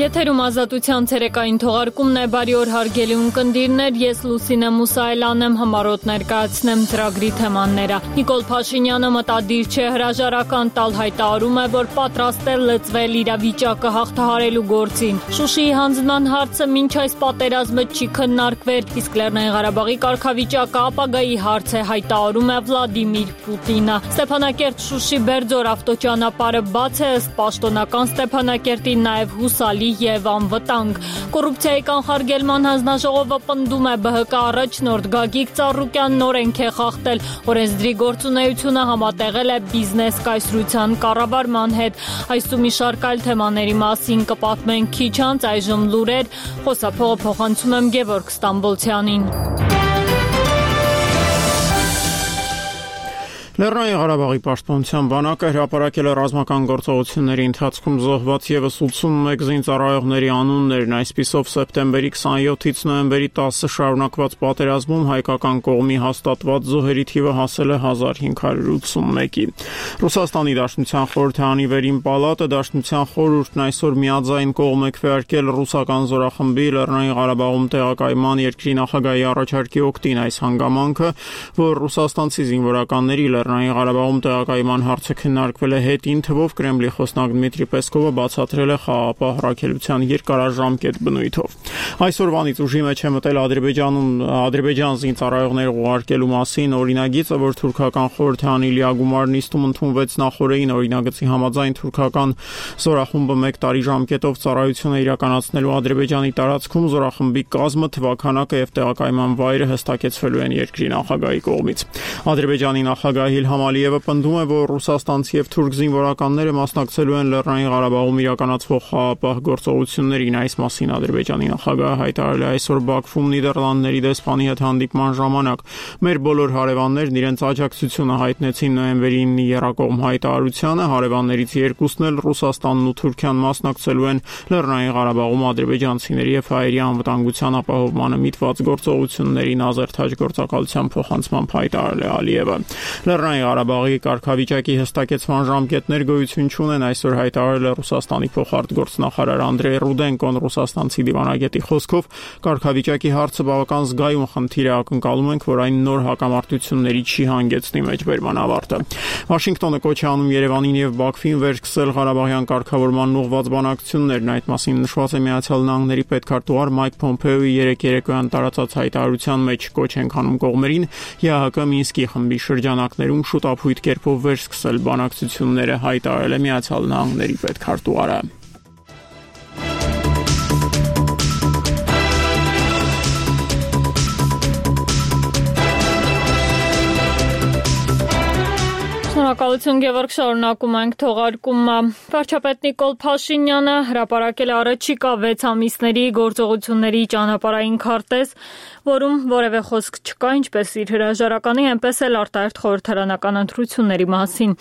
Եթերում ազատության ցերեկային թողարկումն է, բարի օր հարգելի ունկնդիրներ, ես Լուսինե Մուսայելան եմ, համառոտ ներկայացնեմ ծրագրի թեմաները։ Նիկոլ Փաշինյանը մտադիր չէ հրաժարական տալ, հայտարարում է, որ պատրաստ է լծվել իրավիճակը հաղթահարելու գործին։ Շուշիի հանձնման հարցը մինչ այս պատերազմը չի քննարկվել, իսկ Լեռնային Ղարաբաղի կարգավիճակը ապագայի հարց է, հայտարարում է Վլադիմիր Պուտինը։ Ստեփանակերտ-Շուշի Բերձոր ավտոճանապարհը բաց է, ըստ պաշտոնական Ստեփանակերտի, նաև հուսալի եւ անվտանգ։ Կոռուպցիայի կանխարգելման հանձնաժողովը պնդում է ԲՀԿ առաջնորդ Գագիկ Ծառուկյանն օրենք է խախտել, օրենսդրի գործունեությունը համատեղել է բիզնես կայսրության կառավարման հետ։ Այս ու մի շարք այլ թեմաների մասին կպատմենք քիչ անց, այժմ լուրեր, խոսափողը փոխանցում եմ Գևորգ Ստամբոլցյանին։ Լեռնային Ղարաբաղի պաշտպանության բանակը հրապարակել է ռազմական գործողությունների ընթացքում զոհված ևս 81 զինծառայողների անուններն, այսպիսով սեպտեմբերի 27-ից նոյեմբերի 10-ը շարունակված պատերազմում հայկական կողմի հաստատված զոհերի թիվը հասել է 1581-ի։ Ռուսաստանի Դաշնության խորհրդարանի վերին պալատը Դաշնության խորհուրդն այսօր միաձայն կողմ է քվեարկել ռուսական զորախմբի Լեռնային Ղարաբաղում տեղակայման երկրի նախագահի առաջարկի օգտին այս հանգամանքը, որ ռուսաստանցի զինվորականների Լեռնային Ղարաբաղում տեղակայման հարցը քննարկվել է հետին թվով, Կրեմլի խոսնակ Դմիտրի Պեսկովը բացատրել է խաղաղապահ առաքելության երկարաժամկետ բնույթով։ Այսօրվանից ուժի մեջ է մտել Ադրբեջան զինծառայողներ ուղարկելու մասին օրինագիծը, որ թուրքական խորհրդարանի լիագումար նիստում ընդունվեց նախորդին օրինագծի համաձայն թուրքական զորախումբը 1 տարի ժամկետով ծառայություն է իրականացնելու Ադրբեջանի տարածքում, զորախմբի կազմը, թվաքանակը եւ տեղակայման վայրը հստակեցվելու են երկրի նախագահի կողմից։ Ադրբեջանի նախագահ Իլհամ Ալիևը պնդում է, որ ռուսաստանցի եւ թուրք զինվորականները մասնակցելու են Լեռնային Ղարաբաղում իրականացվող խաղաղապահ գործողություններին։ Այս մասին Ադրբեջանի նախագահը հայտարարել է այսօր Բաքվում Նիդերլանդների դեսպանի հետ հանդիպման ժամանակ։ Մեր բոլոր հարևաններն իրենց աջակցությունը հայտնեցին նոյեմբերի 9-ի եռակողմ հայտարարությանը, հարևաններից երկուսն էլ Ռուսաստանն ու Թուրքիան մասնակցելու են Լեռնային Ղարաբաղում ադրբեջանցիների եւ հայերի անվտանգության ապահովմանը միտված գործողություններին ազերթաջ գործակալության փոխանցմամբ հայտարարել է Ալիևը։ Լեռնային Ղարաբաղի կարգավիճակի հստակեցման ժամկետներ գոյություն չունեն, այսօր հայտարարել է Ռուսաստանի փոխարտգործնախարար Անդրեյ Ռուդենկոն։ Ռուսաստանցի դիվանագետի խոսքով կարգավիճակի հարցը բավական զգայուն խնդիր է, ակնկալում ենք, որ այն նոր հակամարտությունների չի հանգեցնի մեջբերման ավարտը։ Վաշինգտոնը կոչ է անում Երևանին եւ Բաքվին վերսկսել Ղարաբաղյան կարգավորման ուղղված բանակցություններն, այդ մասին նշված է Միացյալ Նահանգների պետքարտուղար Մայք Փոմփեոյի երեկոյան տարածած հայտարարության մեջ։ Կոչ ենք անում կողմերին ԵԱՀԿ Մինսկի խմբի շրջանակներում շուտապույտ կերպով վերսկսել բանակցությունները, հայտարարել է Միացյալ Նահանգների պետքարտուղարը։ Շնորհակալություն Գևորգ, շարունակում ենք թողարկումը։ Վարչապետ Նիկոլ Փաշինյանը հրապարակել է առաջիկա 6 ամիսների գործողությունների ճանապարհային քարտեզ, որում որևէ խոսք չկա ինչպես իր հրաժարականի, այնպես էլ արտահերթ խորհրդարանական ընտրությունների մասին։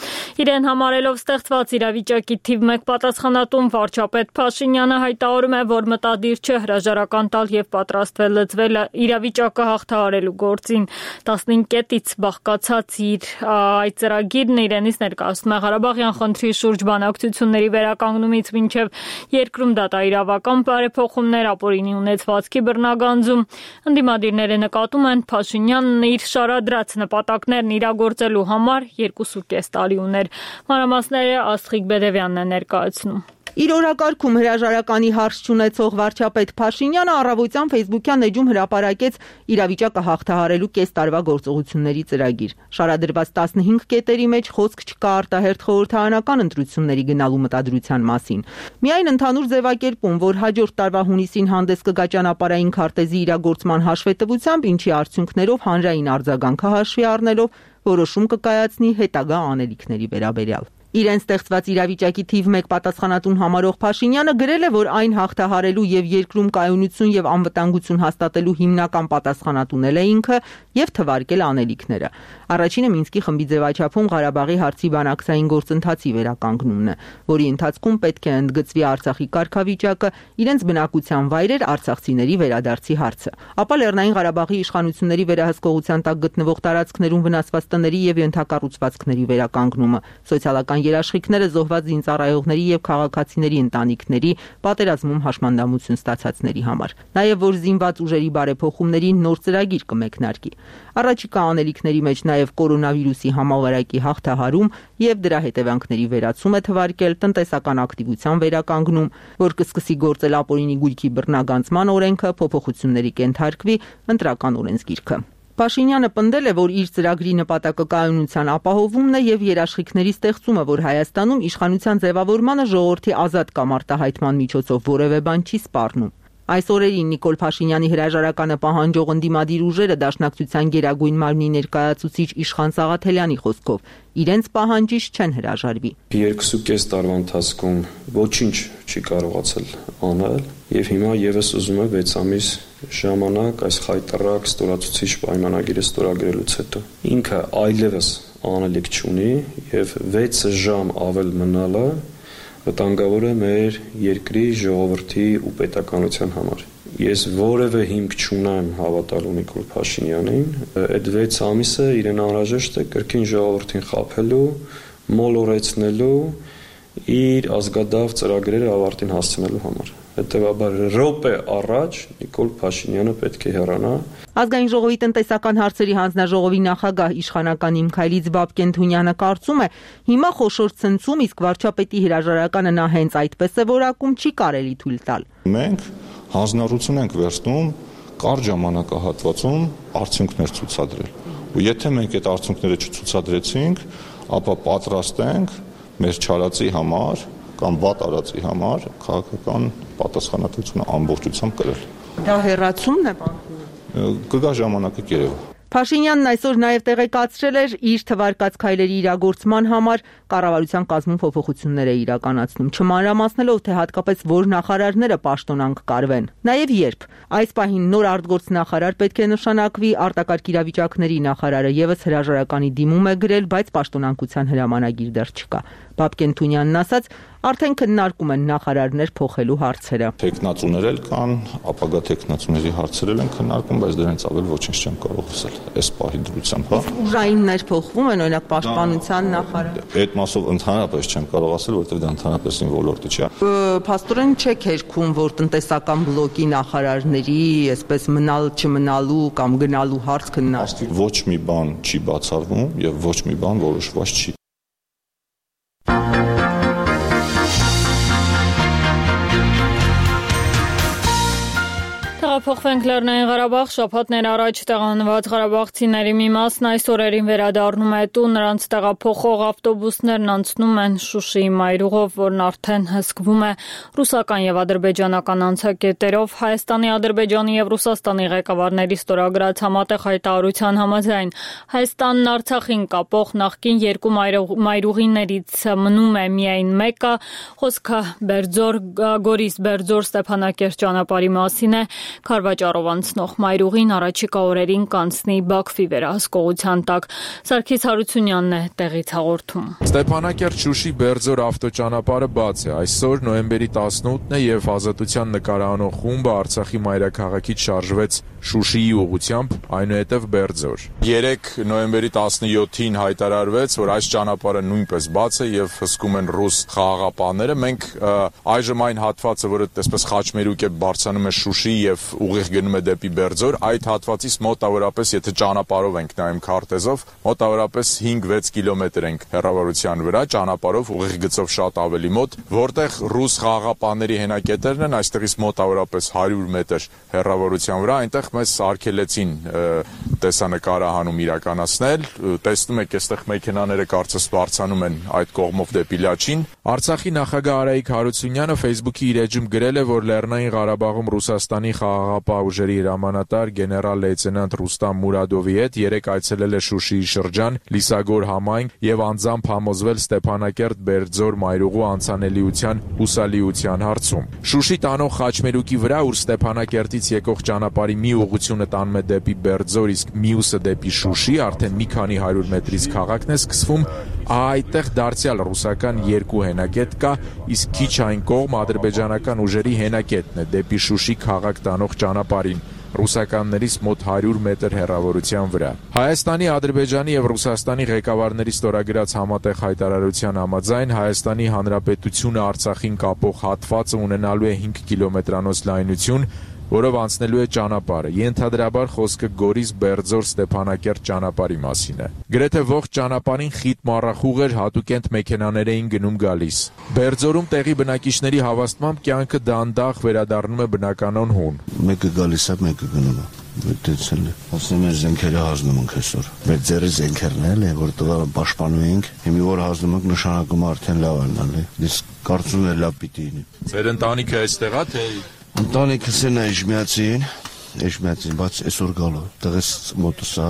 Իրեն համարելով ստեղծված իրավիճակի թիվ 1 պատասխանատուն վարչապետ Փաշինյանը հայտարարում է, որ մտադիր չէ հրաժարական տալ եւ պատրաստվել լծվել իրավիճակը հաղթահարելու գործին։ 15 կետից բաղկացած իր այդ ծրագիրն իրենից ներկայացնում է Ղարաբաղյան խնդրի շուրջ բանակցությունների վերականգնումից մինչև երկրում դատաիրավական բարեփոխումներ, ապօրինի ունեցվածքի բռնագանձում։ Ընդդիմադիրները նկատում են, Փաշինյանն իր շարադրած նպատակներն իրագործելու համար 2.5 տարի ուներ։ Մանրամասները Աստղիկ Բեդևյանն է ներկայացնում։ Իր օրակարգում հրաժարականի հարց չունեցող վարչապետ Փաշինյանը առավոտյան Facebook-յան էջում հրապարակեց իրավիճակը հաղթահարելու կես տարվա գործողությունների ծրագիր։ Շարադրված 15 կետերի մեջ խոսք չկա արտահերթ խորհրդարանական ընտրությունների գնալու մտադրության մասին։ Միայն ընդհանուր ձևակերպում, որ հաջորդ տարվա հունիսին հանդես կգա ճանապարհային քարտեզի իրագործման հաշվետվությամբ, ինչի արդյունքներով հանրային արձագանքը հաշվի առնելով որոշում կկայացնի հետագա անելիքների վերաբերյալ։ Իրեն ստեղծված իրավիճակի թիվ 1 պատասխանատուն համարող Փաշինյանը գրել է, որ այն հաղթահարելու եւ երկրում կայունություն եւ անվտանգություն հաստատելու հիմնական պատասխանատուն է ինքը եւ թվարկել անելիքները։ Առաջինը Մինսկի խմբի ձևաչափում Ղարաբաղի հարցի բանակցային գործընթացի վերականգնումն է, որի ընթացքում պետք է ընդգծվի Արցախի կարգավիճակը, իրենց բնակության վայրեր, արցախցիների վերադարձի հարցը։ Ապա Լեռնային Ղարաբաղի իշխանությունների վերահսկողության տակ գտնվող տարածքներում վնասված տների եւ ենթակառուցվածքների վերականգնումը, սոցիալական երաշխիքները զոհված զինծառայողների եւ քաղաքացիների ընտանիքների, պատերազմում հաշմանդամություն ստացածների համար։ Նաեւ որ զինված ուժերի բարեփոխումների նոր ծրագիր կմեկնարկի։ Առաջիկա անելիքների մեջ նաեւ կորոնավիրուսի համավարակի հաղթահարում եւ դրա հետևանքների վերացում է թվարկել տնտեսական ակտիվության վերականգնում, որ կսկսի գործել ապօրինի գույքի բռնագանձման օրենքը, փոփոխությունների կենթարկվի ընտրական օրենսգիրքը։ Փաշինյանը պնդել է, որ իր ծրագրի նպատակը կայունության ապահովումն է եւ երաշխիքների ստեղծումը, որ Հայաստանում իշխանության ձևավորմանը ժողովրդի ազատ կամ արտահայտման միջոցով որևէ բան չի սպառնում։ Այս օրերին Նիկոլ Փաշինյանի հրաժարականը պահանջող ընդդիմադիր ուժերը Դաշնակցության գերագույն մարմնի ներկայացուցիչ Իշխան Սաղաթելյանի խոսքով իրենց պահանջից չեն հրաժարվի։ 2.5 տարվա ընթացքում ոչինչ չի կարողացել անել եւ հիմա եւս ուզում է 6 ամիս ժամանակ այս խայտառակ ստորացուցիչ պայմանագիրը ստորագրելուց հետո ինքը այլևս անելիք չունի եւ 6 ժամ ավել մնալը վտանգավոր է մեր երկրի ժողովրդի ու պետականության համար։ Ես որևէ հիմք չունեմ հավատալու Նիկոլ Փաշինյանին, այդ 6 ամիսը իրեն անհրաժեշտ է կրկին ժողովրդին խաբելու, մոլորեցնելու, իր ազգադավ ծրագրերը ավարտին հասցնելու համար։ Հետևաբար րոպե առաջ Նիկոլ Փաշինյանը պետք է հեռանա։ Ազգային ժողովի տնտեսական հարցերի հանձնաժողովի նախագահ իշխանական Իմքայլից Բաբկեն Թունյանը կարծում է, հիմա խոշոր ցնցում, իսկ վարչապետի հրաժարականը նա հենց այդպես է որակում, չի կարելի թույլ տալ։ Մենք հանձնառություն ենք վերցնում կարճ ժամանակահատվածում արդյունքներ ցուցադրել։ Ու եթե մենք այդ արդյունքները չցուցադրեցինք, ապա պատրաստ ենք մեր չարածի համար կամ վատ արածի համար քաղաքական պատասխանատվությունը ամբողջությամբ կրել։ Դա հեռացումն է բանկում։ Կգա ժամանակը կերևա։ Փաշինյանն այսօր նաև տեղեկացրել էր իր թվարկած քայլերի իրագործման համար կառավարության կազմում փոփոխություններ է իրականացնում, չմանրամասնելով թե հատկապես որ նախարարները պաշտոնանկ կարվեն։ Նաև երբ այս պահին նոր արտգործնախարար պետք է նշանակվի, արտակարգ իրավիճակների նախարարը եւս հրաժարականի դիմում է գրել, բայց պաշտոնանկության հրամանագիր դեռ չկա։ Բաբկեն Թունյանն ասաց, արդեն քննարկում են նախարարներ փոխելու հարցերը։ Տեխնացուներ էլ կան, ապագա տեխնացուների հարցեր են քննարկում, բայց դրանից ավել ոչինչ չեմ կարող ասել։ Այս պահի դրությամբ, հա։ Ուժայիններ փոխվում են, օրինակ պաշտպանության նախարար։ Այդ մասով ընդհանրապես չեմ կարող ասել, որովհետև դա ընդհանրապես իմ ոլորտը չէ։ Փաստորեն չեք հերքում, որ տնտեսական բլոկի նախարարների, այսպես մնալ չմնալու կամ գնալու հարց քննարկվի։ Ոչ մի բան չի բացառվում եւ ոչ մի բան որոշված չի։ Փոխվենք Լեռնային Ղարաբաղ, շաբաթներ առաջ տեղանված ղարաբաղցիների մի մասն այս օրերին վերադառնում է տուն, նրանց տեղափոխող ավտոբուսներն անցնում են Շուշիի մայրուղով, որն արդեն հսկվում է ռուսական եւ ադրբեջանական անցակետերով։ Հայաստանի, Ադրբեջանի եւ Ռուսաստանի ղեկավարների ստորագրած համատեղ հայտարարության համաձայն Հայաստանն Արցախին կապող նախկին երկու մայրուղիներից մնում է միայն մեկը, խոսքը Գորիս-Բերձոր Ստեփանակերտ ճանապարհի մասին է։ Քարվաճառով անցնող մայրուղին առաջիկա օրերին կանցնի Բաքվի վերահսկողության տակ։ Սարգիս Հարությունյանն է տեղից հաղորդում։ Ստեփանակերտ-Շուշի Բերձոր ավտոճանապարհը բաց է։ Այսօր նոյեմբերի 18-ն է եւ Ազատության նկարահանող խումբը Արցախի մայրաքաղաքից շարժվեց Շուշիի ուղղությամբ, այնուհետև Բերձոր։ 3 նոյեմբերի 17-ին հայտարարվեց, որ այս ճանապարհը նույնպես բաց է եւ հսկում են ռուս խաղաղապահները։ Մենք այժմ այն հատվածը, որը այսպես խաչմերուկ է բարձրանում է Շուշի եւ ուղիղ գնում է դեպի Բերձոր, այդ հատվածից մոտավորապես, եթե ճանապարհով ենք նայում քարտեզով, մոտավորապես 5-6 կիլոմետր ենք հեռավորության վրա, ճանապարհով ուղիղ գծով շատ ավելի մոտ, որտեղ ռուս խաղաղապահների հենակետերն են, այստեղից մոտավորապես 100 մետր հեռավորության վրա, այնտեղ մեզ արգելեցին տեսանկարահանում իրականացնել, տեսնում եք, այստեղ մեքենաները կարծես բարձրանում են այդ կողմով դեպի Լաչին։ Արցախի նախագահ Արայիկ Հարությունյանը Facebook-ի իր էջում գրել է, որ Լեռնային Ղարաբաղում Ռուսաստանի խաղաղապահ ուժերի հրամանատար գեներալ լեյտենանտ Ռուստամ Մուրադովի հետ 3 այցելել է Շուշիի շրջան, Լիսագոր համայնք եւ անձամբ համոզվել Ստեփանակերտ Բերձոր մայրուղու անցանելիության հուսալիության հարցում։ Շուշի տանող խաչմերուկի վրա, ուր Ստեփանակերտից եկող ճանապարհի մի ուղղությունը տանում է դեպի Բերձոր, իսկ մյուսը դեպի Շուշի, արդեն մի քանի 100 մետրից քաղաքն է սկսվում, այդտեղ դարձյալ ռուսական 2 հենակետ կա, իսկ քիչ այն կողմ ադրբեջանական ուժերի հենակետն է դեպի Շուշի քաղաք տանող ճանապարհին։ ռուսականներից մոտ 100 մետր հեռավորության վրա։ Հայաստանի, Ադրբեջանի եւ Ռուսաստանի ղեկավարների ստորագրած համատեղ հայտարարության համաձայն Հայաստանի Հանրապետությունը Արցախին կապող հատվածը ունենալու է 5 կիլոմետրանոց լայնություն, որով անցնելու է ճանապարհը։ Ենթադրաբար խոսքը Գորիս-Բերձոր-Ստեփանակերտ ճանապարհի մասին է։ Գրեթե ողջ ճանապարհին խիտ մառախուղեր հատուկենտ մեքենաներ էին գնում գալիս։ Բերձորում տեղի բնակիչների հավաստմամբ կյանքը դանդաղ վերադառնում է բնականon հուն։ Մեկը գալիս է, մեկը գնում է։ Դեցել է։ Ասում են զենքերը հազնում ենք այսօր։ Մեր ձեռի զենքերն էլ է, որ տղա պաշտպանում ենք, հիմի որ հազնում ենք նշանակում արդեն լավ են ալի։ Իսկ կարծում եմ լավ պիտի լինի։ Ձեր ընտանիքը այստեղ է թե Ընտանիքս են Էժմիածին, բայց այսօր գալու։ Տղես մոտս է,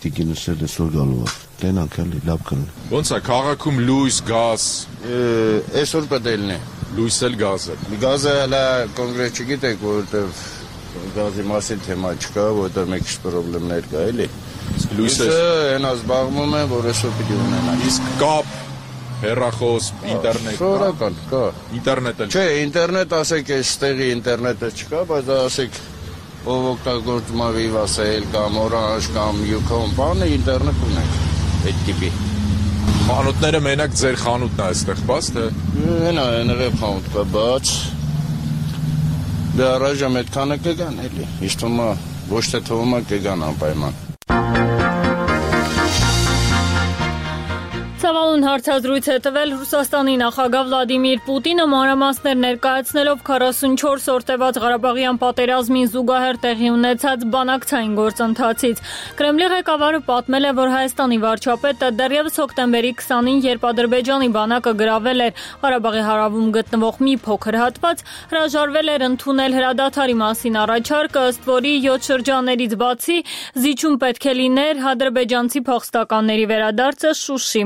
տիկինս էլ այսօր գալու է։ Տենանք էլի լավ կլինի։ Ոնց է քաղաքում լույս, գազ։ Այսօր պետք է լինի։ Լույս էլ գազ է։ Գազը հələ կոնկրետ չգիտեք, որովհետև գազի մասին թեմա չկա, որովհետև մեկ քիչ խնդիրներ կա, էլի։ Իսկ լույսը հենա զբաղվում է, որ այսօր պիտի ունենա։ Իսկ կապ հեռախոս, ինտերնետ Սովորական կա։ Ինտերնետը Չէ, ինտերնետ ասեք, այստեղի ինտերնետը չկա, բայց ասեք ով օգտագործում է Vivasail կամ Orange կամ Ucom, բանը ինտերնետ ունենք այդ տիպի։ Խանութները մենակ ձեր խանութն է այստեղ բաց թե։ Հենա ներև խանութ կա բաց։ Դե առայժմ այդքանը կգան էլի։ Իսկ թվում է ոչ թե թվում է կգան անպայման։ Ցավալուն հարցազրույց է տվել Ռուսաստանի նախագահ Վլադիմիր Պուտինը մանրամասներ ներկայացնելով 44 օր տևած Ղարաբաղյան պատերազմին զուգահեռ տեղի ունեցած բանակցային գործընթացից։ Կրեմլի ղեկավարը պատմել է, որ Հայաստանի վարչապետը դեռևս հոկտեմբերի 20-ին, երբ Ադրբեջանի բանակը գրավել էր Ղարաբաղի հարավում գտնվող մի փոքր հատված, հրաժարվել էր ընդունել հրադադարի մասին առաջարկը, ըստ որի 7 շրջաններից բացի զիջում պետք է լիներ ադրբեջանցի փախստականների վերադարձը Շուշի,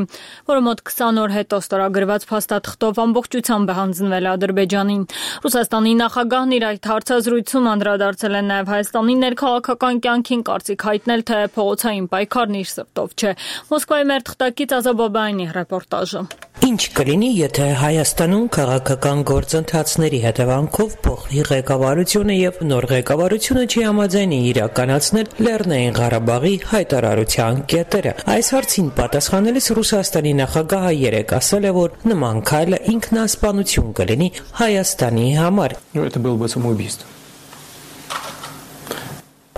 որը մոտ 20 օր հետո ստորագրված փաստաթղթով ամբողջությամբ է հանձնվել Ադրբեջանին։ Ռուսաստանի նախագահն իր այդ հարցազրույցում անդրադարձել է նաև Հայաստանի ներքաղաքական կյանքին, կարծիք հայտնել, թե փողոցային պայքարն իր սրտով չէ։ Մոսկվայի մեր թղթակից Ազաբաբայանի ռեպորտաժը։ Ինչ կլինի, եթե Հայաստանում քաղաքական գործընթացների հետևանքով փոխվի ղեկավարությունը եւ նոր ղեկավարությունը չի համաձայնի իրականացնել Լեռնային Ղարաբաղի հայտարարության կետերը։ Այս հարցին պատասխանելիս Ռուսաստանի նախագահը երեկ ասել է, որ նման քայլը ինքնասպանություն կլինի Հայաստանի համար։ Это было бы самоубийство.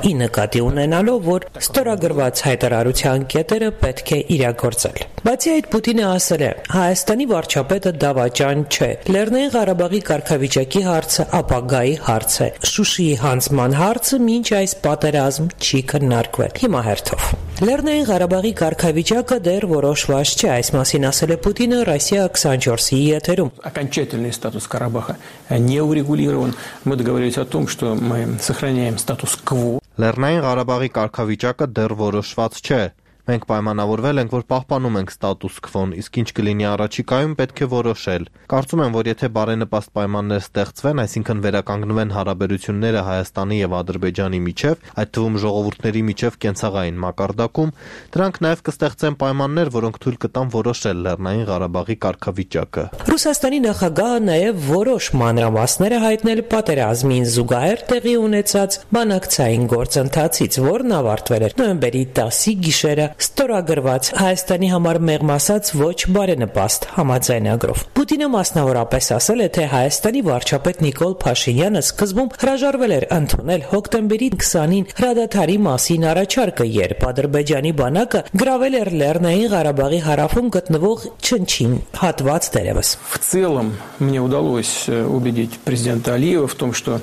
Ի նկատի ունենալով, որ ստորագրված հայտարարության կետերը պետք է իրագործել։ Բացի այդ, Պուտինը ասել է, Հայաստանի վարչապետը դավաճան չէ։ Լեռնային Ղարաբաղի կարգավիճակի հարցը ապագայի հարց է։ Շուշիի հանձնման հարցը մինչ այս պատերազմ չի քննարկվել։ Հիմա հերթով։ Լեռնային Ղարաբաղի կարգավիճակը դեռ որոշված չէ, այս մասին ասել է Պուտինը Россия 24-ի եթերում։ Окончательный статус Карабаха не урегулирован. Мы договорились о том, что мы сохраняем статус-кво. Լեռնային Ղարաբաղի կարգավիճակը դեռ որոշված չէ։ Մենք պայմանավորվել ենք, որ պահպանում ենք ստատուս քվոն, իսկ ինչ կլինի առաջիկայում պետք է որոշել։ Կարծում եմ, որ եթե բարենպաստ պայմաններ ստեղծվեն, այսինքն վերականգնվեն հարաբերությունները Հայաստանի եւ Ադրբեջանի միջև, այդ թվում ժողովուրդների միջև կենցաղային մակարդակում, դրանք նաեւ կստեղծեն պայմաններ, որոնք թույլ կտան որոշել Լեռնային Ղարաբաղի կարգավիճակը։ Ռուսաստանի նախագահը նաեւ որոշ մանրամասներ է հայտնել պատերազմին զուգահեռ տեղի ունեցած բանակցային գործընթացից, որն ավարտվել էր նոյեմբերի 10-ի գիշերը ստորագրված Հայաստանի համար մեղմ ասած ոչ բարենպաստ համաձայնագրով։ Պուտինը մասնավորապես ասել է, թե Հայաստանի վարչապետ Նիկոլ Փաշինյանը սկզբում հրաժարվել էր ընդունել հոկտեմբերի 20-ին հրադադարի մասին առաջարկը, երբ Ադրբեջանի բանակը գրավել էր Լեռնային Ղարաբաղի հարավում գտնվող Չնչին հատված դերևս։ В целом мне удалось убедить президента Алиева в том, что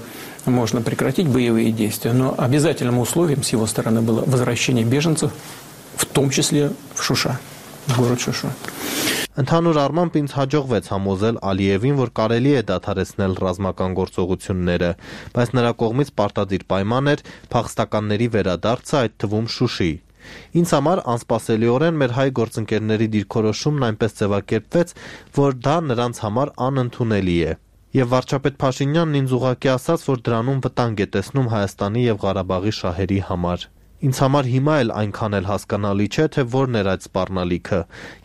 можно прекратить боевые действия, но обязательным условием с его стороны было возвращение беженцев, в том числе в Шуша, в город Шуша. Ընդհանուր առմամբ ինձ հաջողվեց համոզել Ալիևին, որ կարելի է դադարեցնել ռազմական գործողությունները, բայց նրա կողմից պարտադիր պայման էր փախստականների վերադարձը, այդ թվում Շուշի։ Ինձ համար անսպասելիորեն մեր հայ գործընկերների դիրքորոշումն այնպես ձևակերպվեց, որ դա նրանց համար անընդունելի է։ Եվ վարչապետ Փաշինյանն ինձ ուղղակի ասաց, որ դրանում վտանգ է տեսնում Հայաստանի եւ Ղարաբաղի շահերի համար։ Ինձ համար հիմա էլ այնքան էլ հասկանալի չէ, թե որն էր այդ սպառնալիքը։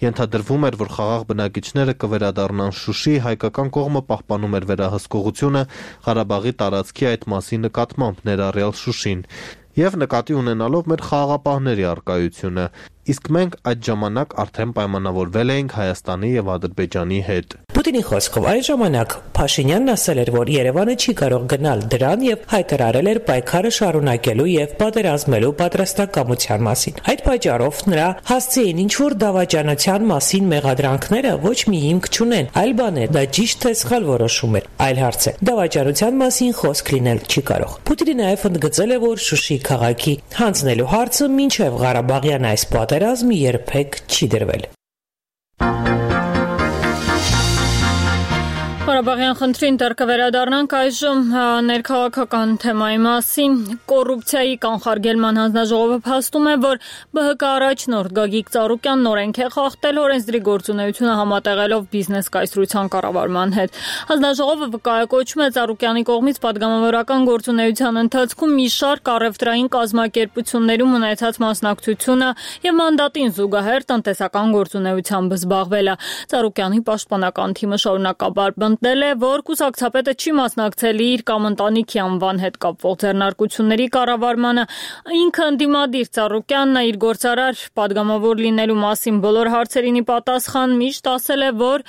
Ենթադրվում էր, որ խաղաղ բնակիչները կվերադառնան Շուշի, հայկական կողմը պահպանում էր վերահսկողությունը Ղարաբաղի տարածքի այդ մասի նկատմամբ, ներառյալ Շուշին, եւ նկատի ունենալով մեր խաղաղապահների առկայությունը, իսկ մենք այդ ժամանակ արդեն պայմանավորվել էինք Հայաստանի եւ Ադրբեջանի հետ։ Պուտինի խոսքով այն ժամանակ Փաշինյանն ասել էր, որ Երևանը չի կարող գնալ դրան եւ հայտարարել էր պայքարը շարունակելու եւ պատերազմելու պատրաստակամության մասին։ Այդ պատճառով նրա հասցեին ինչ-որ դավաճանության մասին մեղադրանքները ոչ մի հիմք չունեն, այլ բան է, դա ճիշտ թե սխալ որոշում էր։ Այլ հարց է, դավաճանության մասին խոսք լինել չի կարող։ Պուտինը նաեւ ընդգծել է, որ Շուշի քաղաքի հանձնելու հարցը մինչեւ Ղարաբաղյան այս պատերազմը երբեք չի դրվել։ Ղարաբաղյան խնդրին դեռ կվերադառնանք այժմ ներքաղաքական թեմայի մասին։ Կոռուպցիայի կանխարգելման հանձնաժողովը փաստում է, որ ԲՀԿ առաջնորդ Գագիկ Ծառուկյանն օրենք է խախտել օրենսդրի գործունեությունը համատեղելով բիզնես կայսրության կառավարման հետ։ Հանձնաժողովը վկայակոչում է Ծառուկյանի կողմից պատգամավորական գործունեության ընթացքում մի շարք առևտրային կազմակերպություններում ունեցած մասնակցությունը եւ մանդատին զուգահեռ տնտեսական գործունեությամբ զբաղվելը։ Ծառուկյանի պաշտպանական թիմը շարունակաբար ել է, որ կուսակցապետը չի մասնակցել իր կամ ընտանիքի անվան հետ կապվող ձեռնարկությունների կառավարմանը։ Ինքը ընդդիմադիր Ծառուկյանն իր գործարար պատգամավոր լինելու մասին բոլոր հարցերին ի պատասխան միշտ ասել է, որ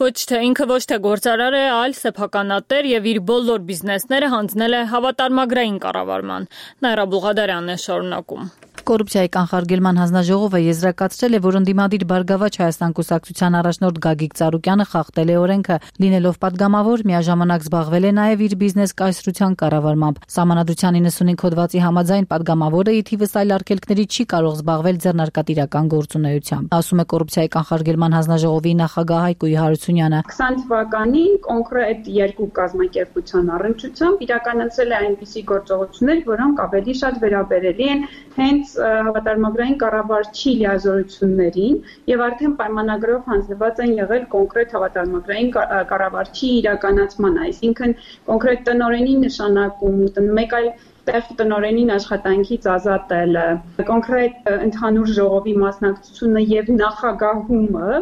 ինքը ոչ թե գործարար է, այլ սեփականատեր եւ իր բոլոր բիզնեսները հանձնել է հավատարմագրային կառավարման։ Նաիրա Բուղադարյանն է շարունակում։ Կոռուպցիայի կանխարգելման հանձնաժողովը եզրակացրել է, որ ընդդիմադիր Բարգավաճ Հայաստան կուսակցության առաջնորդ Գագիկ Ծառուկյանը խախտել է օրենքը, լինելով պատգամավոր, միաժամանակ զբաղվել է նաև իր բիզնես կայսրության կառավարմամբ։ Սահմանադրության 95 հոդվածի համաձայն պատգամավորը ի թիվս այլ արգելքների չի կարող զբաղվել ձեռնարկատիրական գործունեությամբ, ասում է կոռուպցիայի կանխարգելման հանձնաժողովի նախագահ Հայկույ Հարությունյանը։ 20 թվականին կոնկրետ երկու կազմակերպության առնչությամբ իրականացել է այնպիսի գործողություններ, որոնք ավելի շատ վերաբերելի են հենց հավատարմագրային կառավարչի լիազորություններին եւ արդեն պայմանագրով հանձնված են եղել կոնկրետ հավատարմագրային կառավարչի իրականացման, այսինքն կոնկրետ տնօրենի նշանակում, մեկ այլ տեղ տնօրենին աշխատանքից ազատելը, կոնկրետ ընդհանուր ժողովի մասնակցությունը եւ նախագահումը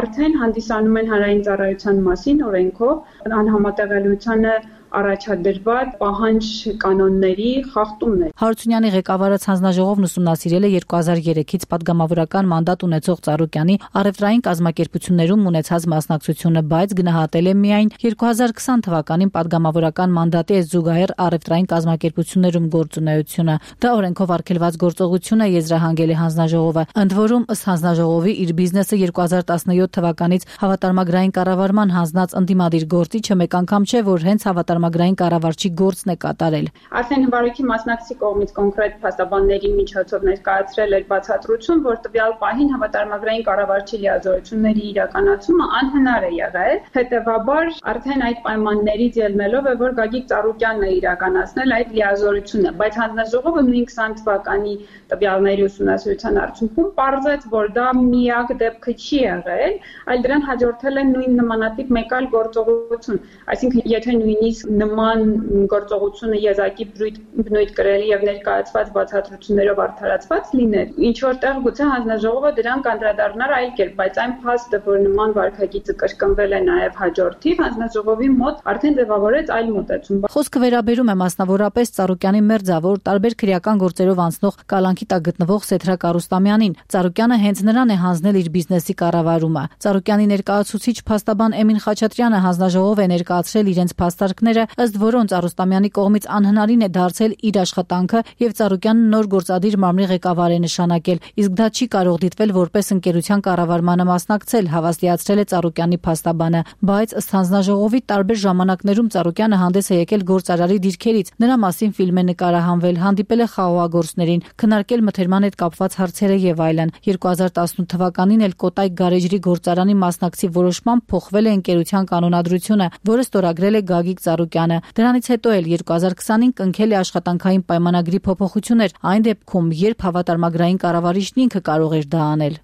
արդեն հանդիսանում են հանրային ծառայության մասին օրենքով անհամատեղելիությանը առաջադրված պահանջ կանոնների խախտումն է։ Հարությունյանի ղեկավարած հանձնաժողովն ուսումնասիրել է 2003-ից պատգամավորական մանդատ ունեցող Ծառուկյանի առևտրային կազմակերպություններում ունեցած մասնակցությունը, բայց գնահատել է միայն 2020 թվականին պատգամավորական մանդատի զուգահեռ առևտրային կազմակերպություններում գործունեությունը։ Դա օրենքով արգելված գործողություն է, եզրահանգել է հանձնաժողովը։ Ընդ որում, ըստ հանձնաժողովի, իր բիզնեսը 2017 թվականից հավատարմագրային կառավարման հանձնած ընդդիմադիր գործիչը մեկ անգամ չէ, որ հենց հավատարմագրային կառավարչի գործն է կատարել։ Արդեն հվարույքի մասնակցի կողմից կոնկրետ փաստաբանների միջոցով ներկայացրել էր բացատրություն, որ տվյալ պահին հավատարմագրային կառավարչի լիազորությունների իրականացումը անհնար է եղել։ Հետևաբար արդեն այդ պայմաններից ելնելով է, որ Գագիկ Ծառուկյանն է իրականացնել այդ լիազորությունը, բայց հանձնաժողովը նույն 20 թվականի տվյալների ուսումնասիրության արդյունքում պարզեց, որ դա միակ դեպքը չի եղել, այլ դրան հաջորդել է նույն նմանատիպ մեկ այլ գործողություն, այսինքն եթե նույնիսկ նման գործողությունը եզակի բնույթ կրելի եւ ներկայացված բացատրություններով արդարացված լիներ, ինչ որտեղ գուցե հանձնաժողովը դրան կանդրադառնար այլ կերպ, բայց այն փաստը, որ նման վարքագիծը կրկնվել է նաեւ հաջորդիվ, հանձնաժողովի մոտ արդեն ձևավորեց այլ մոտեցում։ Խոսքը վերաբերում է մասնավորապես Ծառուկյանի մերձավոր տարբեր քրեական գործերով անցնող կալանքի տակ գտնվող Սեթրակ Արուստամյանին։ Ծառուկյանը հենց նրան է հանձնել իր բիզնեսի կառավարումը։ Ծառուկյանի ներկայացուցիչ փաստաբան Էմին Խաչատրյանը հանձնաժողով է ներկայացրել իրենց փաստարկները, ըստ որոնց Արուստամյանի կողմից անհնարին է դարձել իր աշխատանքը եւ Ծառուկյանը նոր գործադիր մարմնի ղեկավար է նշանակել, իսկ դա չի կարող դիտվել որպես ընկերության կառավարմանը մասնակցել, հավաստիացրել է Ծառուկյանի փաստաբանը, բայց ըստ հանձնաժողովի տարբեր ժամանակներում Ծառուկյանը հանդես է եկել գործարարի դիրքերից, նրա մասին ֆիլմ է նկարահանվել, հանդիպել է խաղողագործներին, քննարկել մթերման հետ կապված հարցերը եւ այլն։ 2018 թվականին էլ Կոտայք գարեջրի գործարանի մասնակցի որոշմամբ փոխվել է ընկերության կանոնադրությունը, որը ստորագրել է Գագիկ Ծառուկյանը։ Դրանից հետո էլ 2020-ին կնքել է աշխատանքային պայմանագրի փոփոխություններ, այն դեպքում, երբ հավատարմագրային կառավարիչն ինքը կարող էր դա անել։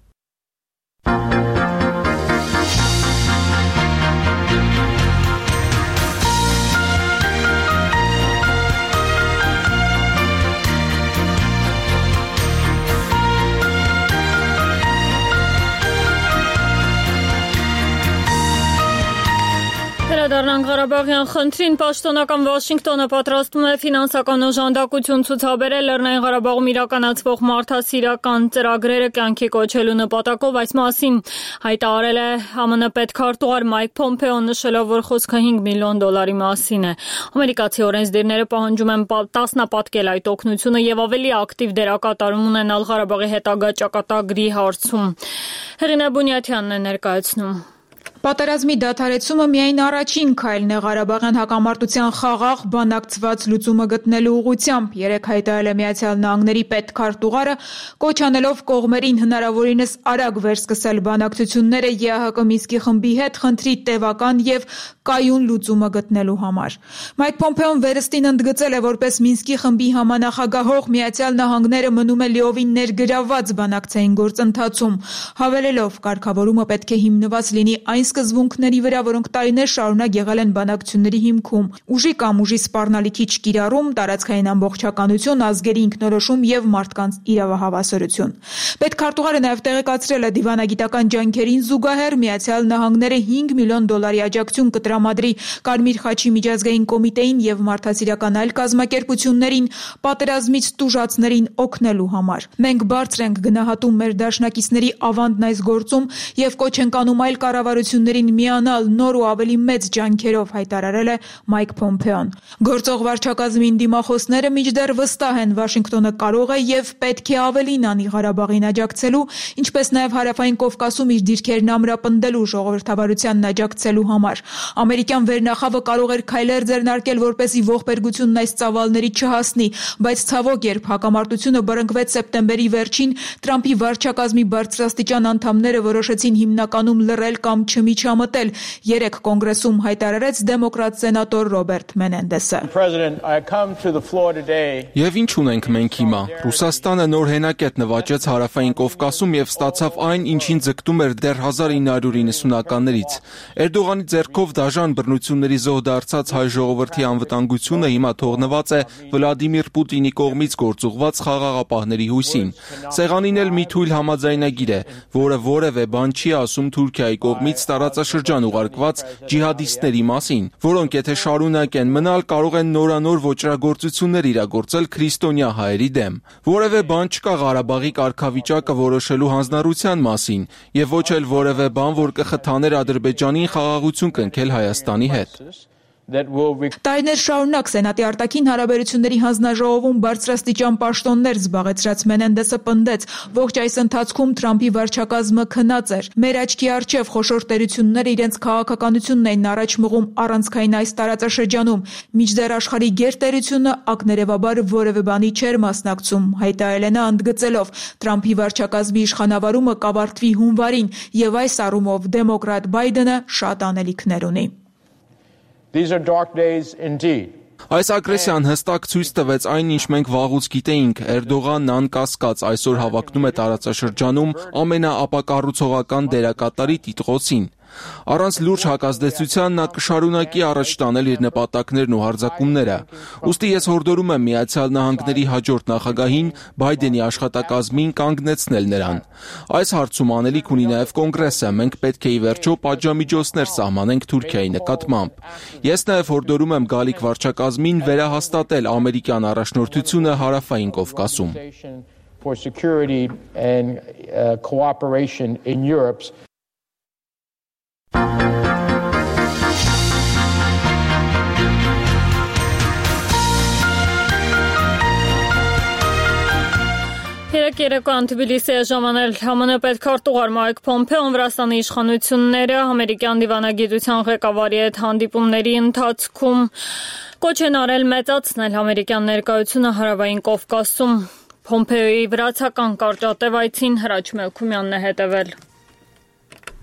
Վերադառնանք Ղարաբաղյան խնդրին, պաշտոնական Վաշինգտոնը պատրաստվում է ֆինանսական օժանդակություն ցուցաբերել Լեռնային Ղարաբաղում իրականացվող մարդասիրական ծրագրերը կյանքի կոչելու նպատակով, այս մասին հայտարարել է ԱՄՆ պետքարտուղար Մայք Փոմփեոն, նշելով, որ խոսքը $5 միլիոն մասին է։ Ամերիկացի օրենսդիրները պահանջում են տասնապատկել այդ օգնությունը եւ ավելի ակտիվ դերակատարում ունենալ Ղարաբաղի հետագա ճակատագրի հարցում։ Հեղինե Բունյաթյանն է ներկայացնում։ Պատերազմի դադարեցումը միայն առաջին քայլն է Ղարաբաղյան հակամարտության խաղաղ, բանակցված լուծումը գտնելու ուղղությամբ, երեկ հայտարարել է Միացյալ Նահանգների պետքարտուղարը, կոչ անելով կողմերին հնարավորինս արագ վերսկսել բանակցությունները ԵԱՀԿ Մինսկի խմբի հետ խնդրի տևական եւ կայուն լուծումը գտնելու համար։ Մայք Փոմփեոն վերստին ընդգծել է, որպես Մինսկի խմբի համանախագահող Միացյալ Նահանգները մնում է լիովին ներգրավված բանակցային գործընթացում, հավելելով, կարգավորումը պետք է հիմնված լինի այն սկզբունքների վրա, որոնք տարիներ շարունակ եղել են բանակցությունների հիմքում՝ ուժի կամ ուժի սպառնալիքի չկիրառում, տարածքային ամբողջականություն, ազգերի ինքնորոշում եւ մարդկանց իրավահավասարություն։ Պետքարտուղարը նաեւ տեղեկացրել է դիվանագիտական ջանքերին զուգահեռ Միացյալ Նահանգները $5 միլիոն աջակցություն կտրամադրի Կարմիր խաչի միջազգային կոմիտեին եւ մարդասիրական այլ կազմակերպություններին պատերազմից տուժածներին օգնելու համար։ Մենք բարձր ենք գնահատում մեր դաշնակիցների ավանդն այս գործում եւ կոչ ենք անում այլ կառավարություններին միանալ նոր ու ավելի մեծ ջանքերով, հայտարարել է Մայք Փոմփեոն։ Գործող վարչակազմին դիմախոսները մինչդեռ վստահ են Վաշինգտոնը կարող է եւ պետք է ավելին անի Ղարաբաղին աջակցելու, ինչպես նաեւ Հարավային Կովկասում իր դիրքերն ամրապնդելու ժողովրդավարությանն աջակցելու համար։ Ամերիկյան վերնախավը կարող էր քայլեր ձեռնարկել, որպեսզի ողբերգությունն այս ծավալների չհասնի, բայց ցավոք, երբ հակամարտությունը բռնկվեց սեպտեմբերի վերջին, Թրամփի վարչակազմի բարձրաստիճան անդամները որոշեցին հիմնականում լռել կամ չմիջամտել, երեկ կոնգրեսում հայտարարեց դեմոկրատ սենատոր Ռոբերտ Մենենդեսը։ Եվ ինչ ունենք մենք հիմա։ Ռուսաստանը նոր հենակետ նվաճեց Հարավային Կովկասում եւ ստացավ այն, ինչին ձգտում էր դեռ 1990-ականներից։ Էրդողանի ձեռքով դաժան բռնությունների զոհ դարձած հայ ժողովրդի անվտանգությունը հիմա թողնված է Վլադիմիր Պուտինի կողմից գործուղված խաղաղապահների հույսին։ Սեղանին էլ մի թույլ համաձայնագիր է, որը որևէ բան չի ասում Թուրքիայի կողմից տարածաշրջան ուղարկված ջիհադիստների մասին, որոնք եթե շարունակեն մնալ, կարող են նորանոր ոճրագործություններ իրագործել քրիստոնյա հայերի դեմ։ Որևէ բան չկա Ղարաբաղի կարգավիճակը որոշելու հանձնառության մասին, եւ ոչ էլ որևէ բան, որ կխթաներ Ադրբեջանին խաղաղություն կնքել Հայաստանի հետ։ Տարիներ շարունակ Սենատի արտաքին հարաբերությունների հանձնաժողովում բարձրաստիճան պաշտոններ զբաղեցրած Մենենդեսը պնդեց, ողջ այս ընթացքում Թրամփի վարչակազմը քնած էր։ Մեր աչքի առջև խոշոր տերությունները իրենց քաղաքականությունն էին առաջ մղում առանցքային այս տարածաշրջանում, մինչդեռ աշխարհի գերտերությունը ակներևաբար որևէ բանի չէր մասնակցում, հայտարարել է նա ընդգծելով Թրամփի վարչակազմի իշխանավարումը կավարտվի հունվարին եւ այս առումով դեմոկրատ Բայդենը շատ անելիքներ ունի։ Այս ագրեսիան հստակ ցույց տվեց այն, ինչ մենք վաղուց գիտեինք։ Էրդողանն անկասկած այսօր հավակնում է տարածաշրջանում ամենաապակառուցողական դերակատարի տիտղոսին։ Առանց լուրջ հակազդեցության նա կշարունակի առաջ տանել իր նպատակներն ու հարձակումները։ Ուստի ես հորդորում եմ Միացյալ Նահանգների հաջորդ նախագահին Բայդենի աշխատակազմին կանգնեցնել նրան։ Այս հարցում անելիք ունի նաև կոնգրեսը, մենք պետք է ի վերջո պատժամիջոցներ սահմանենք Թուրքիայի նկատմամբ։ Ես նաև հորդորում եմ գալիք վարչակազմին վերահաստատել ամերիկյան առաջնորդությունը Հարավային Կովկասում։ Երեկոյան Թբիլիսի է ժամանել ԱՄՆ պետքարտուղար Մայք Փոմփեոն Վրաստանի իշխանությունները ամերիկյան դիվանագիտության ղեկավարի հետ հանդիպումների ընթացքում կոչ են արել մեծացնել ամերիկյան ներկայությունը Հարավային Կովկասում։ Փոմփեոյի վրացական կարճատև այցին Հրաչ Մելքումյանն է հետևել։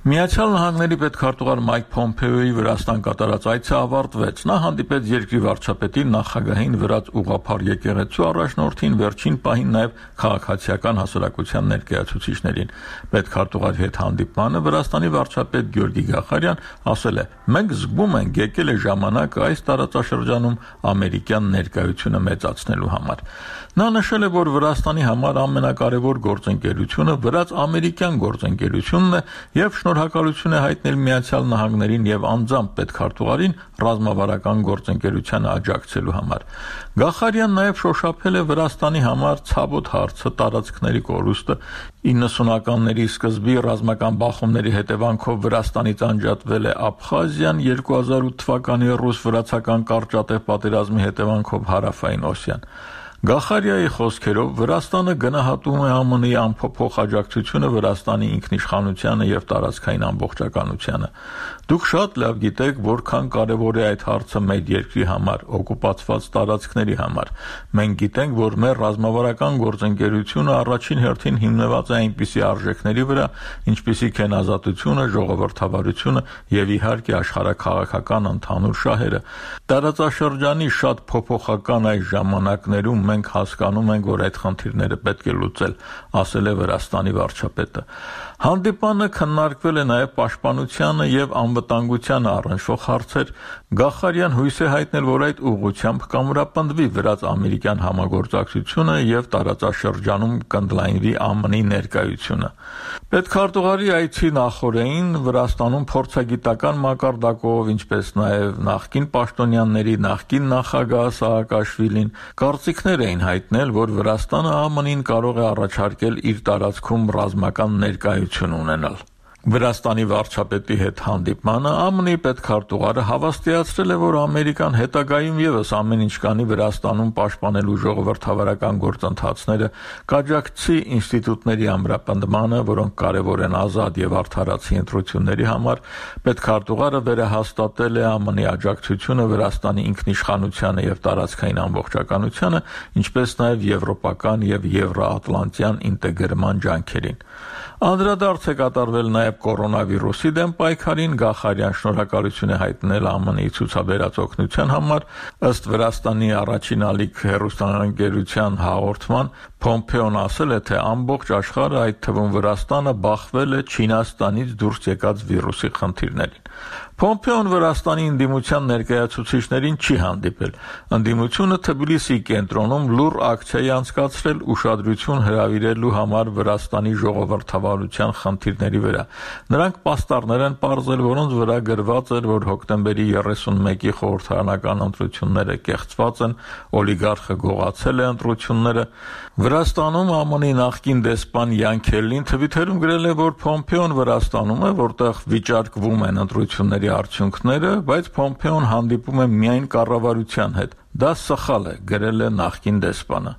Միացյալ Նահանգների պետքարտուղար Մայք Փոմփեոյի Վրաստան կատարած այցը ավարտվեց։ Նա հանդիպեց երկրի վարչապետին, նախագահին, վրաց ուղղափառ եկեղեցու առաջնորդին, վերջին պահին նաև քաղաքացիական հասարակության ներկայացուցիչներին։ Պետքարտուղարի հետ հանդիպմանը Վրաստանի վարչապետ Գյորգի Գախարյան ասել է. «Մենք զգում ենք, եկել է ժամանակը այս տարածաշրջանում ամերիկյան ներկայությունը մեծացնելու համար»։ Նա նշել է, որ Վրաստանի համար ամենակարևոր գործընկերությունը վրաց-ամերիկյան գործընկերությունն է եւ շնորհակալություն է հայտնել Միացյալ Նահանգներին եւ անձամբ պետքարտուղարին ռազմավարական գործընկերությանը աջակցելու համար։ Գախարյանն նաեւ շոշափել է Վրաստանի համար ցավոտ հարցը տարածքների կորուստը 90-ականների սկզբի ռազմական բախումների հետևանքով Վրաստանից անջատվել է Աբխազիան, 2008 թվականի ռուս-վրացական կարճատև պատերազմի հետևանքով հարավային Օսիան։ Գախարյայի խոսքերով Վրաստանը գնահատում է ԱՄՆ-ի անփոփոխ աջակցությունը Վրաստանի ինքնիշխանությանը եւ տարածքային ամբողջականությանը։ Դուք շատ լավ գիտեք, որքան կարեւոր է այդ հարցը մեր երկրի համար, օկուպացված տարածքների համար։ Մենք գիտենք, որ մեր ռազմավարական գործընկերությունը առաջին հերթին հիմնված է այնպիսի արժեքների վրա, ինչպիսիք են ազատությունը, ժողովրդավարությունը եւ իհարկե աշխարհաքաղաքական ընդհանուր շահերը։ Տարածաշրջանի շատ փոփոխական այս ժամանակներում մենք հասկանում ենք, որ այդ խնդիրները պետք է լուծել, ասել է Վրաստանի վարչապետը։ Հանդիպանը քննարկվել է նաև պաշտպանությանը եւ անվտանգությանը առնչվող հարցեր։ Գախարյան հույս է հայտնել, որ այդ ուղղությամբ կամրապնդվի վրաց-ամերիկյան համագործակցությունը եւ տարածաշրջանում կընդլայնվի ԱՄՆ-ի ներկայությունը։ Պետքարտուղարի այցի նախօրեին Վրաստանում փորձագիտական մակարդակով, ինչպես նաև նախկին պաշտոնյաների նախկին նախագահ Սաակաշվիլին կարծիքներ էին հայտնել, որ Վրաստանը ԱՄՆ-ին կարող է առաջարկել իր տարածքում ռազմական ներկայություն ունենալ։ Վրաստանի վարչապետի հետ հանդիպմանը ԱՄՆ-ի պետքարտուղարը հավաստիացրել է, որ Ամերիկան հետագայում եւս ամեն ինչ կանի Վրաստանում պաշտպանելու ժողովրդավարական գործընթացները, կաջակցի ինստիտուտների ամրապնդմանը, որոնք կարևոր են ազատ եւ արդարացի ընտրությունների համար։ Պետքարտուղարը վերահաստատել է ԱՄՆ-ի աջակցությունը Վրաստանի ինքնիշխանությանը եւ տարածքային ամբողջականությանը, ինչպես նաեւ եվրոպական եւ եվրոատլանտյան ինտեգրման ջանքերին։ Անդրադարձ է կատարվել նաև կորոնավիրուսի դեմ պայքարին, Գախարյան շնորհակալություն է հայտնել ԱՄՆ-ի ցուցաբերած օգնության համար, ըստ Վրաստանի առաջին ալիք հեռուստաընկերության հաղորդման, Փոմփեոն ասել է, թե ամբողջ աշխարհը, այդ թվում Վրաստանը, բախվել է Չինաստանից դուրս եկած վիրուսի խնդիրներին։ Փոմփեոն Վրաստանի ընդդիմության ներկայացուցիչներին չի հանդիպել։ Ընդդիմությունը Թբիլիսի կենտրոնում լուռ ակցիա անցկացրել ուշադրություն հրավիրելու համար Վրաստանի ժողովրդավարության խնդիրների վրա։ Նրանք պաստառներ են պարզել, որոնց վրա գրված էր, որ հոկտեմբերի 31-ի խորհրդարանական ընտրությունները կեղծված են, օլիգարխը գողացել է ընտրությունները։ Վրաստանում ԱՄՆ-ի նախկին դեսպան Յան Քելլին Թվիթերում գրել է, որ Փոմփեոն Վրաստանում է, որտեղ վիճարկվում են ընտրությունների արդյունքները, բայց Փոմփեոն հանդիպում է միայն կառավարության հետ։ Դա սխալ է, գրել է նախկին դեսպանը։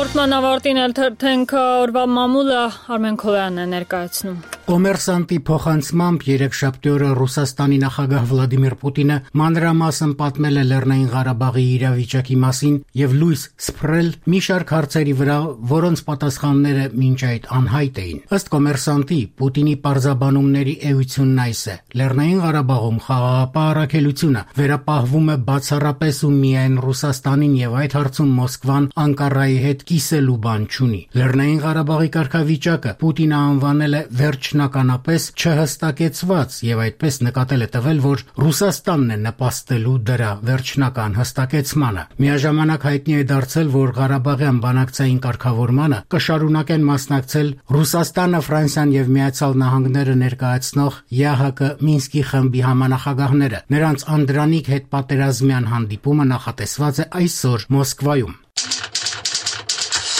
Հաղորդման ավարտին էլ թերթենք օրվա մամուլը Արմեն Քոյանն է ներկայացնում։ Կոմերսանտի փոխանցմամբ երեքշաբթի օրը Ռուսաստանի նախագահ Վլադիմիր Պուտինը մանրամասն պատմել է Լեռնային Ղարաբաղի իրավիճակի մասին եւ լույս սփռել մի շարք հարցերի վրա, որոնց պատասխանները մինչ այդ անհայտ էին։ Ըստ Կոմերսանտի, Պուտինի պարզաբանումների էությունն այս է. Լեռնային Ղարաբաղում խաղաղապահ առաքելությունը վերապահվում է բացառապես ու միայն Ռուսաստանին եւ այդ հարցում Մոսկվան Անկարայի հետ կիսելու բան չունի։ Լեռնային Ղարաբաղի կարգավիճակը Պուտինը անվանել է վերջնականապես չհստակեցված եւ այդպես նկատել է տվել, որ Ռուսաստանն է նպաստելու դրա վերջնական հստակեցմանը։ Միաժամանակ հայտնի է դարձել, որ Ղարաբաղյան բանակցային կարգավորմանը կշարունակեն մասնակցել Ռուսաստանը, Ֆրանսիան եւ Միացյալ Նահանգները ներկայացնող ԵԱՀԿ Մինսկի խմբի համանախագահները։ Նրանց անդրանիկ հետ պատերազմյան հանդիպումը նախատեսված է այսօր Մոսկվայում։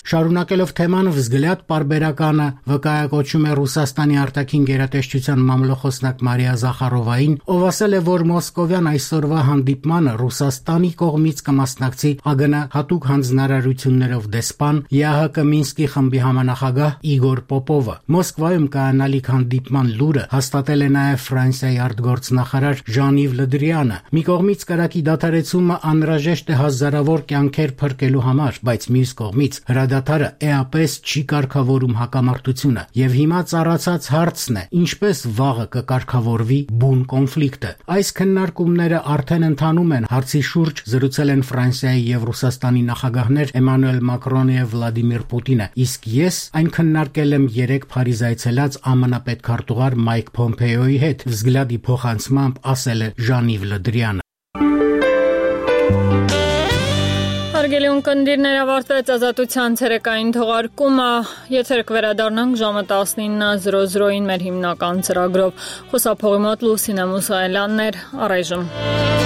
Շարունակելով թեման, Վզգլյադ պարբերականը վկայակոչում է Ռուսաստանի արտաքին գերատեսչության մամլոխոսնակ Մարիա Զախարովային, ով ասել է, որ մոսկովյան այսօրվա հանդիպմանը Ռուսաստանի կողմից կմասնակցի ԱԳՆ հատուկ հանձնարարություններով դեսպան ԵԱՀԿ Մինսկի խմբի համանախագահ Իգոր Պոպովը։ Մոսկվայում կայանալիք հանդիպման լուրը հաստատել է նաև Ֆրանսիայի արտգործնախարար Ժան-Իվ Լդրիանը։ Մի կողմից կրակի դադարեցումը անհրաժեշտ է հազարավոր կյանքեր փրկելու համար, բայց մյուս կողմից հրադադարը էապես չի կարգավորում հակամարտությունը, եւ հիմա ծառացած հարցն է, ինչպես վաղը կկարգավորվի բուն կոնֆլիկտը։ Այս քննարկումները արդեն ընթանում են, հարցի շուրջ զրուցել են Ֆրանսիայի եւ Ռուսաստանի նախագահներ Էմանուել Մակրոնը եւ Վլադիմիր Պուտինը, իսկ ես այն քննարկել եմ 3 Փարիզ այցելած ԱՄՆ պետքարտուղար Մայք Փոմփեոյի հետ, Վզգլյադի փոխանցմամբ ասել է Ժան-Իվ Լդրյանը։ Հարգելի ունկնդիրներ, ավարտվեց Ազատության ցերեկային թողարկումը։ Եթեր կվերադառնանք ժամը 19:00-ին մեր հիմնական ծրագրով։ Խոսափողի մոտ Լուսինե Մուսայելյանն էր, առայժմ։